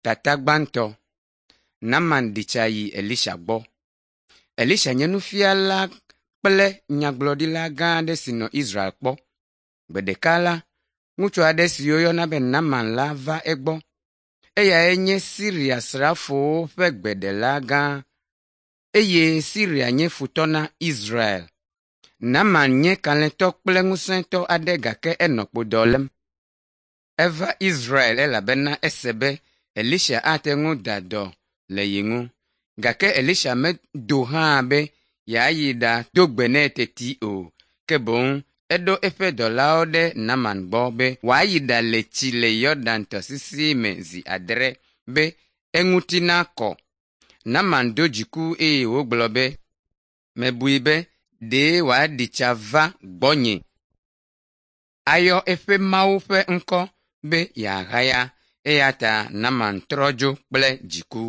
Tata gbãtɔ. Naaman ɖi tsa yi Elisha gbɔ. Elisha nye nufiala kple nyagblɔɖila gã aɖe si nɔ Israel kpɔ. Gbe ɖeka la, ŋutsu aɖe si woyɔna be Naaman la va egbɔ. Eyae nye Siria srafowo ƒe gbeɖela gã eye Siria nye futɔ na Israel. Naaman nye kalẽtɔ kple ŋusẽtɔ aɖe gake enɔ kpodɔ lém. Eva Israel elabena ese be Elisha ate ŋu da dɔ le ye ŋu. Gake Elisha medo hã be yeayi ɖado gbe nɛ teti o. Ke boŋ eɖo eƒe dɔlawo ɖe Naaman gbɔ be wòayi ɖale tsi le Yɔdan tɔsisi me zi adre be eŋuti nakɔ. Naaman do dziku eye wògblɔ be, “Mebui be ɖe wòaɖi tsa va gbɔnye ayɔ eƒe Mawu ƒe ŋkɔ be yeahaya.” Eya ta Naaman trɔ dzo kple dziku.